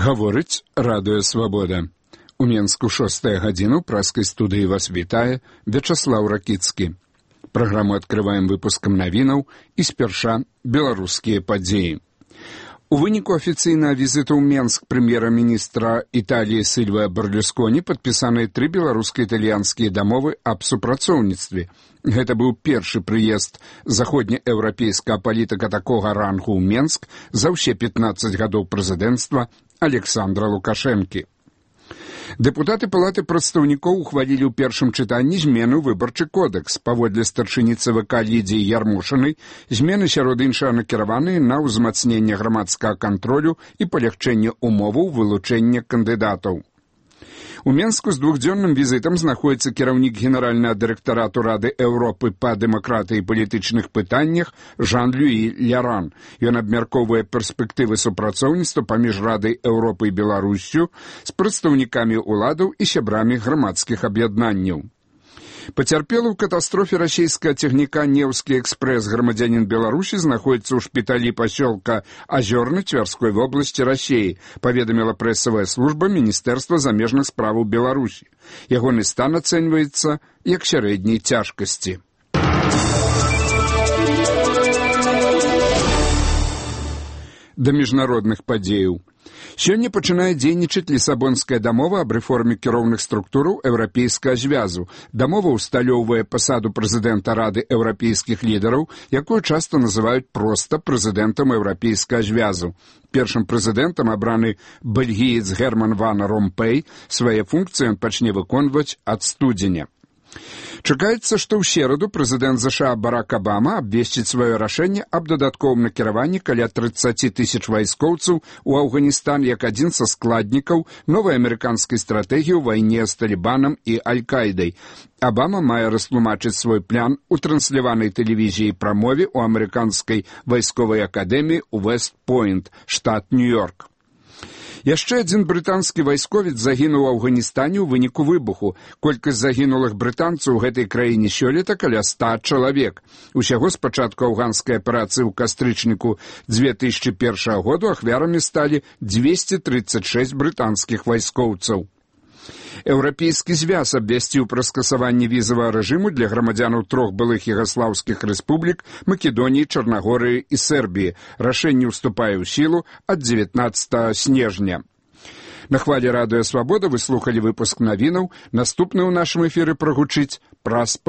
Гаворыць Радыё Свабода. У Менску 6 гадзіну праскай студыі вас вітае Вячаслаў Ракіцкі. Праграму адкрываем выпускам навінаў і спярша беларускія падзеі. У выніку афіцыйнага візіту ў Менск прэм'ера-міністра Італіі Сільвіа Берлусконі падпісаныя 3 беларуска-італьянскія дамовы аб супрацоўніцтве. Гэта быў першы прыезд заходнееўрапейскага палітыка такога рангу ў Менск за ўсе 15 гадоў прэзідэнцтва Александра Лукашэнкі. Дэпутаты Палаты прадстаўнікоў ухвалілі ў першым чытанні змену выбарчы кодэкс. Паводле старшыні ЦВК Лідзіі Ярмошынай, змены сярод іншага накіраваныя на ўзмацненне грамадскага кантролю і палягчэнне умоваў вылучэння кандыдатаў. У Менску з двухдзённым візітам знаходзіцца кіраўнік генеральнага дырэктарату Рады Еўропы па дэмакратыі і палітычных пытаннях Жан-Люі Ляран. Ён абмяркоўвае перспектывы супрацоўніцтва паміж Радай Еўропы і Беларуссю з прадстаўнікамі ўладаў і сябрамі грамадскіх аб'яднанняў. Пацярпелы ў катастрофе расійскага цягніка «Неўскі экспрэс» грамадзянін Беларусі знаходзіцца ў шпіталі пасёлка Азёрны Цвярской вобласці Расіі, паведаміла прэсавая служба Міністэрства замежных справаў Беларусі. Ягоны стан ацэньваецца як сярэдняй цяжкасці. Да міжнародных падзеяў. Сёння пачынае дзейнічаць Лісабонская дамова аб рэформе кіроўных структураў Еўрапейскага звязу. Дамова ўсталёўвае пасаду прэзідэнта Рады еўрапейскіх лідараў, якую часта называюць проста прэзідэнтам Еўрапейскага звязу. Першым прэзідэнтам абраны бельгіец Герман ван Ромпэй. Свае функцыі ён пачне выконваць ад студзеня. Чакаецца, што ў сераду прэзідэнт ЗША Барак Абама абвесціць сваё рашэнне аб дадатковым накіраванні каля 30 000 вайскоўцаў у Афганістан як адзін са складнікаў новай амерыканскай стратэгіі ў вайне з Талібанам і Аль-Кайдай. Абама мае растлумачыць свой план у трансляванай тэлевізіі прамове ў амерыканскай вайсковай акадэміі ў Вэст-Пойнт, штат Нью-Йорк. Яшчэ адзін брытанскі вайсковец загінуў у Афганістане ў выніку выбуху. Колькасць загінулых брытанцаў у гэтай краіне сёлета каля 100 чалавек. Усяго з пачатку афганскай аперацыі ў кастрычніку 2001 году ахвярамі сталі 236 брытанскіх вайскоўцаў. Еўрапейскі звяз абвясціў пра скасаванне візавага рэжыму для грамадзянаў 3 былых югаслаўскіх рэспублік Македоніі, Чарнагорыі і Сербіі. Рашэнне ўступае ў сілу ад 19 снежня. На хвалі Радыё Свабода вы слухалі выпуск навінаў. Наступны ў нашым эфіры прагучыць праз